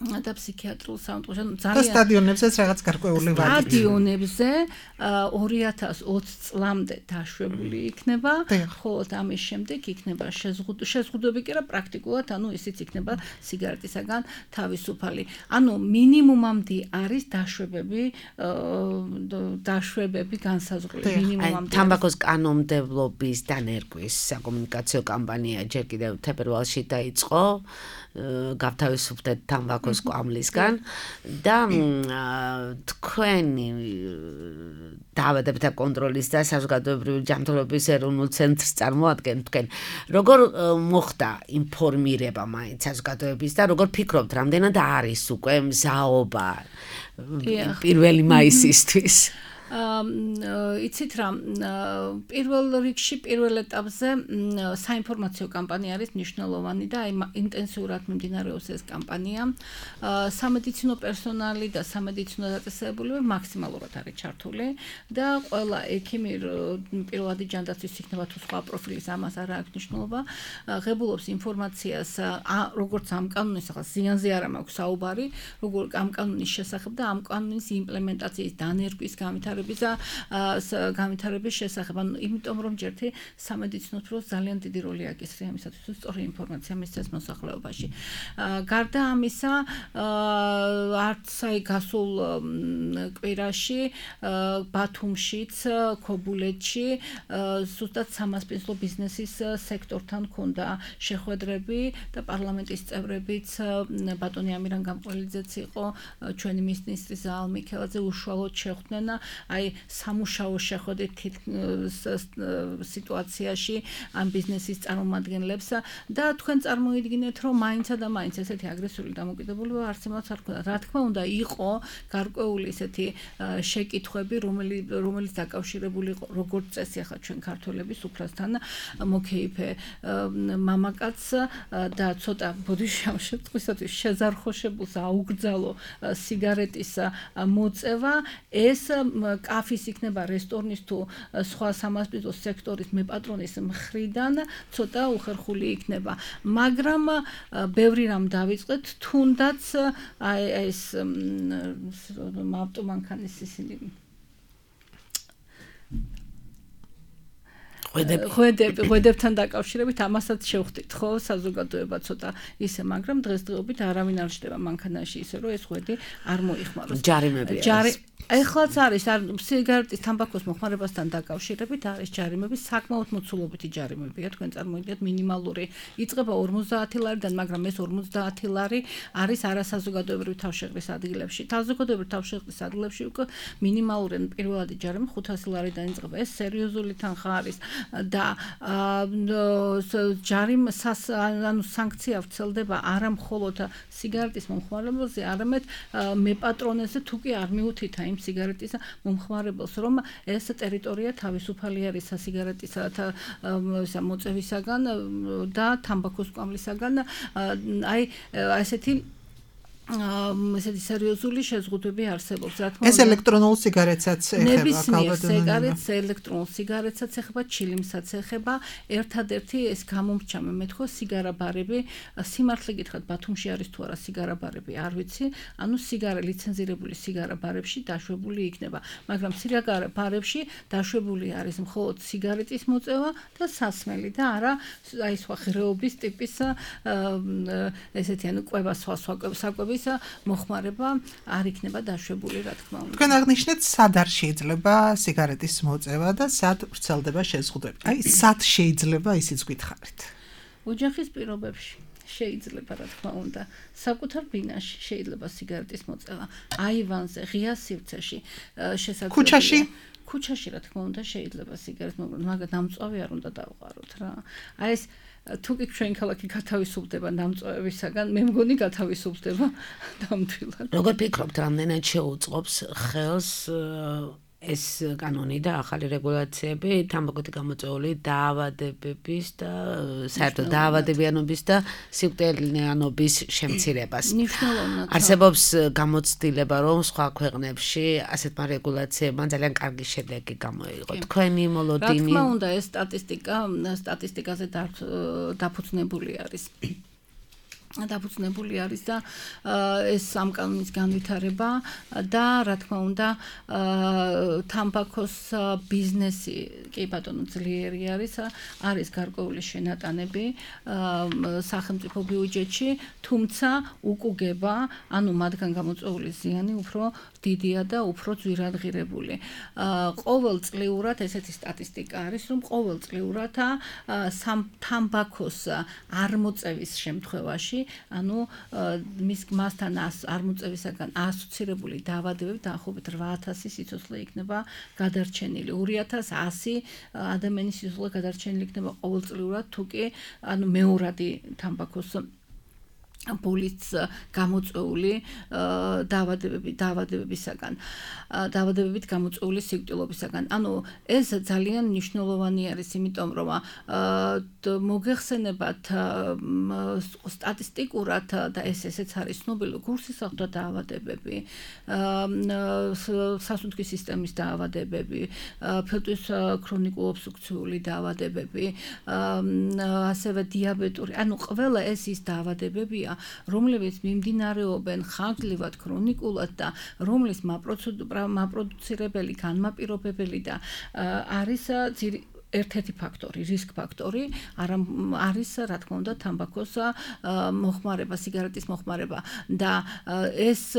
და ფსიქიატრულ საუნდტრაკში ძალიან სტადიონებზეც რაღაც გარკვეული ვადით. სტადიონებზე 2020 წლამდე დაშვებული იქნება, ხოლო ამის შემდეგ იქნება შეზღუდვები კი რა პრაქტიკულად, ანუ ისიც იქნება სიგარეტისაგან თავისუფალი. ანუ მინიმუმამდე არის დაშვებები განსაზღვრული მინიმუმამდე. თამბაქოს კანონმდებლობის დანერგვის საკომუნიკაციო კამპანია ჯერ კიდევ თებერვალში დაიწყო. გავთავისუფლდეთ თამბაქოს კვამლისგან და თქვენი დაავადებათა კონტროლის და საზოგადოებრივი ჯანმრთელობის ეროვნულ ცენტრს წარმოადგენთ თქვენ როგორ მოხდა ინფორმირება მაინც საზოგადოების და როგორ ფიქრობთ რამდენად არის უკვე მზაობა 1 მაისისთვის იცით რა პირველ რიგში პირველ ეტაპზე საინფორმაციო კამპანია არის მნიშვნელოვანი და ინტენსიურად მიმდინარეობს ეს კამპანია სამედიცინო პერსონალი და სამედიცინო დაწესებულებები მაქსიმალურად არის ჩართული და ყველა ექიმი პირველადი ჯანდაცვის იქნება თუ სხვა პროფილის ამას არ აქვს მნიშვნელობა ღებულობს ინფორმაციას როგორც ამ კანონის ახლა ზიანზე არ მაქვს საუბარი როგორ ამ კანონის შესახებ და ამ კანონის იმპლემენტაციის დანერგვის განვითარების შესახებ ანუ იმიტომ რომ ჯერთი სამედიცინო პროფილს ძალიან დიდი როლი აკისრია იმისათვის რომ სწორი ინფორმაცია მისცეს მოსახლეობაში გარდა ამისა არც აი გასულ კვირაში ბათუმშიც ქობულეთში ზუსტად სამასპინძლო ბიზნესის სექტორთან ქონდა შეხვედრები და პარლამენტის წევრებიც ბატონი ამირან გამყველიძეც იყო ჩვენი მინისტრი ზალ მიქელაძე უშუალოდ შეხვდნენ აი სამუშაო შეხვედრით სიტუაციაში ამ ბიზნესის წარმომადგენლებს და თქვენ წარმოიდგინეთ რომ მაინცა და მაინც ესეთი აგრესიული დამოკიდებულება არსებობს არ ქონდა რა თქმა უნდა იყო გარკვეული ესეთი შეკითხვები რომელიც დაკავშირებული იყო როგორც წესი ახლა ჩვენ ქართველების უფლასთან მოკეიფე მამაკაც და ცოტა ბოდიშავშეწყისათვის შეზარხოშებულს აუგრძალო სიგარეტის მოწევა ეს კაფის იქნება რესტორნის თუ სხვა სამასპინძლო სექტორის მეპატრონის მხრიდან ცოტა უხერხული იქნება მაგრამ ბევრი რამ დავიწყეთ თუნდაც აი ეს ავტომანქანის ისინი ხვედებთან დაკავშირებით ამასაც შევხვდით ხო საზოგადოება ცოტა ისე მაგრამ დღესდღეობით არავინ არ ჩდება მანქანაში ისე რომ ეს ხვედი არ მოიხმაროს ჯარიმები ეხლაც არის სიგარეტის თამბაქოს მოხმარებასთან დაკავშირებით არის ჯარიმები საკმაოდ მოცულობითი ჯარიმებია თქვენ წარმოიდგინეთ მინიმალური იწყება 50 ლარიდან მაგრამ ეს 50 ლარი არის არასაზოგადოებრივი თავშეყრის ადგილებში საზოგადოებრივი თავშეყრის ადგილებში უკვე მინიმალური პირველადი ჯარიმი 500 ლარიდან იწყება ეს სერიოზული თანხა არის და ანუ სანქცია ვრცელდება არა მხოლოდ სიგარეტის მომხმარებელზე არამედ მეპატრონეზე თუ კი არ მიუთითა იმ სიგარეტის მომხმარებელს რომ ეს ტერიტორია თავისუფალი არის სასიგარეტისა და მოწევისაგან და თამბაქოს კვამლისაგან აი ესეთი ესეთი სერიოზული შეზღუდვები არსებობს რა თქმა უნდა ეს ელექტრონულ სიგარეტსაც ეხება სიგარეტს ელექტრონულ სიგარეტსაც ეხება ჩილიმსაც ეხება ერთადერთი ეს გამომრჩა მე მეთქო სიგარაბარები სიმართლე გითხრათ ბათუმში არის თუ არა სიგარაბარები არ ვიცი ანუ ლიცენზირებული სიგარაბარებში დაშვებული იქნება მაგრამ სიგარაბარებში დაშვებული არის მხოლოდ სიგარეტის მოწევა და სასმელი და არა აი სხვა ღრეობის ტიპის ესეთი ანუ კვება სხვა საკვების მოხმარება არ იქნება დაშვებული რა თქმა უნდა. თქვენ აღნიშნეთ სად არ შეიძლება სიგარეტის მოწევა და სად ვრცელდება შეზღუდვები. აი სად შეიძლება ისიც გითხარით. ოჯახის პირობებში შეიძლება რა თქმა უნდა საკუთარ ბინაში შეიძლება სიგარეტის მოწევა აივანზე ღია სივრცეში შესაძლებელია ქუჩაში რა თქმა უნდა შეიძლება სიგარეტს მოგვროთ მაგრამ დამწვავი არ უნდა დავყაროთ რა აი ეს თუკი ჩვენ ქალაქი გათავისუფლდება დამწვავებისაგან მე მგონი გათავისუფლდება დამთვილად როგორ ფიქრობთ რამდენად შეუწყობს ხელს ეს კანონი და ახალი რეგულაციები თამბაქოთი გამოწვეული დაავადებების და საერთოდ დაავადებიანობის და სიკვდილიანობის შემცირებას. არსებობს გამოცდილება, რომ სხვა ქვეყნებში ასეთმა რეგულაციებმა ძალიან კარგი შედეგი გამოიღო. თქვენი მოლოდინი. რა თქმა უნდა, ეს სტატისტიკაზე დაფუძნებული არის. დაფუძნებული არის და ეს ამ კანონის განვითარება და რა თქმა უნდა თამბაქოს ბიზნესი კი ბატონო ძლიერი არის გარკვეული შენატანები სახელმწიფო ბიუჯეტში თუმცა უკუგება ანუ მათგან გამოწვეული ზიანი უფრო დიდია და უფრო ძვირადღირებული ყოველწლიურად ესეთი სტატისტიკა არის რომ ყოველწლიურად თამბაქოს არ მოწევის შემთხვევაში ანუ მასთან არ მოწევისაგან ასოცირებული დაავადებები დაახლოებით 8000 სიცოცხლე იქნება გადარჩენილი 2100 ადამიანის სიცოცხლე გადარჩენილი იქნება ყოველწლიურად თუკი ანუ მეორადი თამბაქოს პოლიც გამოწვეული დაავადებებით გამოწვეული სიკვდილობისაგან. ანუ ეს ძალიან მნიშვნელოვანი არის, იმიტომ რომ მოგეხსენებათ სტატისტიკურად და ესეც არის ცნობილი გულსისხლთა დაავადებები, სასუნთქის სისტემის დაავადებები, ფილტვის ქრონიკულ ობსტრუქციული დაავადებები, ასევე დიაბეტური, ანუ ყველა ეს ის დაავადებებია რომლებიც მიმდინარეობენ ხანგრძლივად ქრონიკულად და რომლის მაპროდუცირებელი განმაპირობებელი და არის ერთ-ერთი ფაქტორი, რისკ ფაქტორი არის რა თქმა უნდა თამბაქოს მოხმარება, სიგარეტის მოხმარება და ეს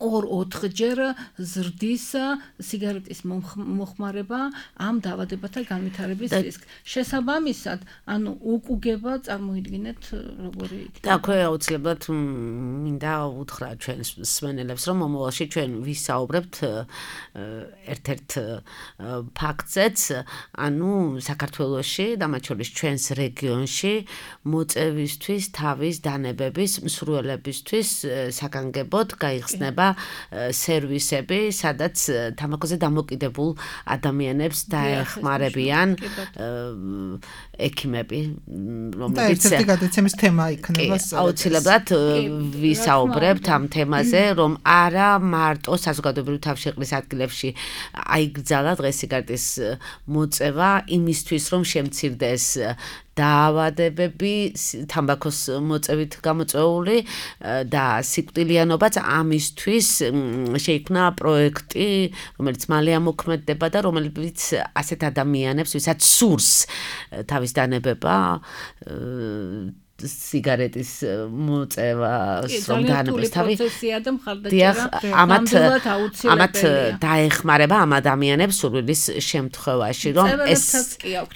2-4ჯერ ზრდის სიგარეტის მოხმარება ამ დაავადებათა განვითარების რისკს. შესაბამისად, ანუ უკუგება წარმოიდგინეთ როგორი იქნება. და ხო აუცილებლად მინდა უთხრა ჩვენ მსმენელებს, რომ მომავალში ჩვენ ვისაუბრებთ ერთ-ერთ ფაქტზეც, ანუ საქართველოში და მათ შორის ჩვენს რეგიონში მოწევისთვის თავის დანებების მსურველებისთვის საგანგებოდ გაიხსნება სერვისები, სადაც თამბაქოზე დამოკიდებულ ადამიანებს დაეხმარებიან ექიმები, რომლებიც ერთ-ერთი გადაცემის თემა იქნება. აუცილებლად ვისაუბრებთ ამ თემაზე, რომ არა მარტო საზოგადოებრივი თავშეყრის ადგილებში აიგრძალა დღეს სიგარეტის მოწევა იმისთვის, რომ შემცირდეს დაავადებები თამბაქოს მოწევით გამოწვეული და სიკვდილიანობაც ამისთვის შეიქმნა პროექტი, რომელიც მალე ამოქმედდება და რომელიც ასეთ ადამიანებს, ვისაც სურს თავის დანებება სიგარეტის მოწევას რომ დაანებოს თავი ამათ დაეხმარება ამ ადამიანებს სურვილის შემთხვევაში რომ ეს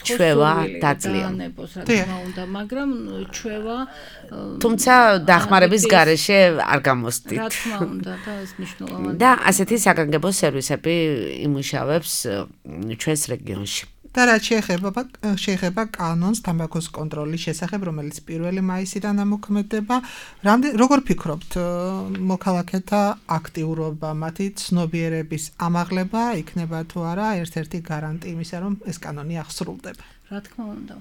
ჩვევა დაძლია მაგრამ ჩვევა თუმცა დახმარების გარეშე არ გამოსდით რა თქმა უნდა და ეს მნიშვნელოვანია და ასეთი საგანგებო სერვისები იმუშავებს ჩვენს რეგიონში და რაც შეეხება კანონს თამბაქოს კონტროლის შესახებ, რომელიც 1 მაისიდან ამოქმედდება, როგორ ფიქრობთ, მოქალაქეთა აქტიურობა, მათი ცნობიერების ამაღლება იქნება თუ არა ერთ-ერთი გარანტი იმისა, რომ ეს კანონი აღსრულდება? რა თქმა უნდა.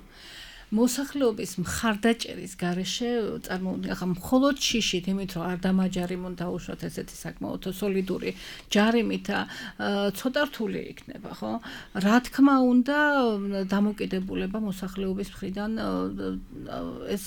მოსახლეობის მხარდაჭერის გარეშე წარმოუდგენლად ახლა მხოლოდ შიშით იმით რომ არ დამაჯარიმონ დაუშვათ ესეთი საკმაოდ სოლიდური ჯარიმით ცოტა რთული იქნება ხო რა თქმა უნდა დამოკიდებულება მოსახლეობის მხრიდან ეს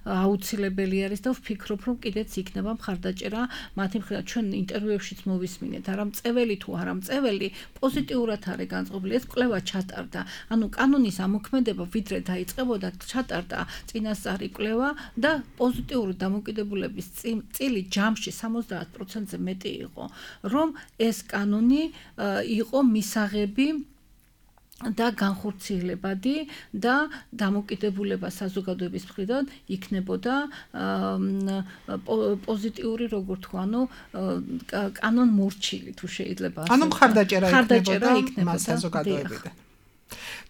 აუცილებელი არის და ვფიქრობ რომ კიდეც იქნება მხარდაჭერა მათი მხრიდან ჩვენ ინტერვიუებშიც მოვისმინეთ არა მწეველი თუ არა მწეველი პოზიტიურად არის განწყობილი ეს კვლევა ჩატარდა ანუ კანონის ამოქმედება ვიდრე იწყებოდა ჩატარდა წინასწარი კვლევა და პოზიტიური დამოკიდებულების წილი ჯამში 70%-ზე მეტი იყო, რომ ეს კანონი იყო მისაღები და განხორციელებადი და დამოკიდებულება საზოგადოების მხრიდან იქნებოდა პოზიტიური, როგორ თქვა, ანუ კანონმორჩილი თუ შეიძლება ასე. ანუ მხარდაჭერა იქნებოდა საზოგადოებიდან.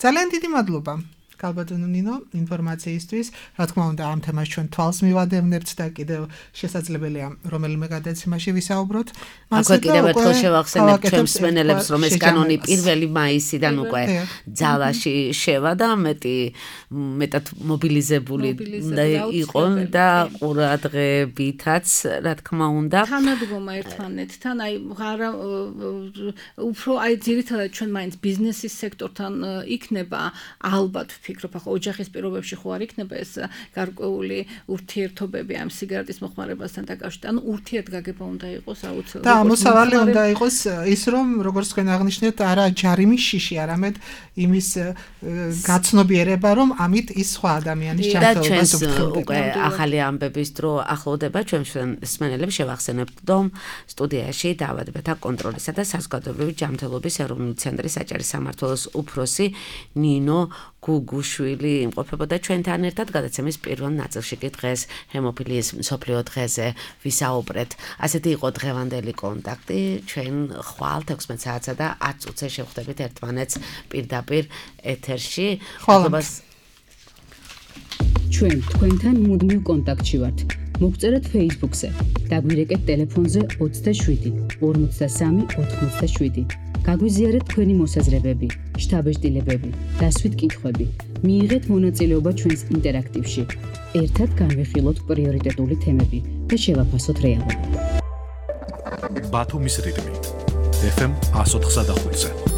ძალიან დიდი მადლობა. Kalbadonu Nino ინფორმაციისთვის, რა თქმა უნდა, ამ თემას ჩვენ თვალს მივადევნებთ და კიდევ შესაძლებელია რომელიმე გადაცემაში ვისაუბროთ. აქვე კიდევ ერთხელ შევახსენებ ჩვენს მსმენელებს, რომ ეს კანონი 1 მაისიდან უკვე ძალაში შევა და მეტად მობილიზებული იყო და ყურადღებითაც, რა თქმა უნდა. თანადგომა ერთმანეთთან, აი უფრო აი ძირითადად ჩვენ მაინც ბიზნესის სექტორთან იქნება ალბათ ვფიქრობ, ახლა ოჯახის პირობებში ხო არ იქნება ეს გარკვეული ურთიერთობები ამ სიგარეტის მოხმარებასთან დაკავშირებით. ანუ ურთიერთგაგება უნდა იყოს აუცილებლად. და ამოსავალი უნდა იყოს ის, რომ როგორც თქვენ აღნიშნეთ, არა ჯარიმის შიში, არამედ იმის გაცნობიერება, რომ ამით ის სხვა ადამიანის ჯანმრთელობას უფრთხილდება. უკვე ახალი ამბების დრო ახლოვდება, ჩვენ მსმენელებს შევახსენებთ, რომ სტუდიაში დაავადებათა კონტროლისა და საზოგადოებრივი ჯანმრთელობის ეროვნული ცენტრის საჭირო სამმართველოს უფროსი ნინო გუგუშვილი იმყოფებოდა ჩვენთან ერთად გადაცემის პირველ ნაწილში კი დღეს ჰემოფილიის მსოფლიო დღეზე ვისაუბრეთ. ასეთი იყო დღევანდელი კონტაქტი. ჩვენ ხვალ 16 საათსა და 10 წუთზე შევხვდებით ერთმანეთს პირდაპირ ეთერში. ჩვენ თქვენთან მუდმივ კონტაქტში ვართ. მოგწერეთ Facebook-ზე, დაგვირეკეთ ტელეფონზე 27 53 87. გაგვიზიარეთ თქვენი მოსაზრებები, შთაბეჭდილებები, დასვით კითხვები. მიიღეთ მონაწილეობა ჩვენს ინტერაქტივში. ერთად განვიხილოთ პრიორიტეტული თემები და შევაფასოთ რეალობა. ბათუმის რიტმი FM 104.5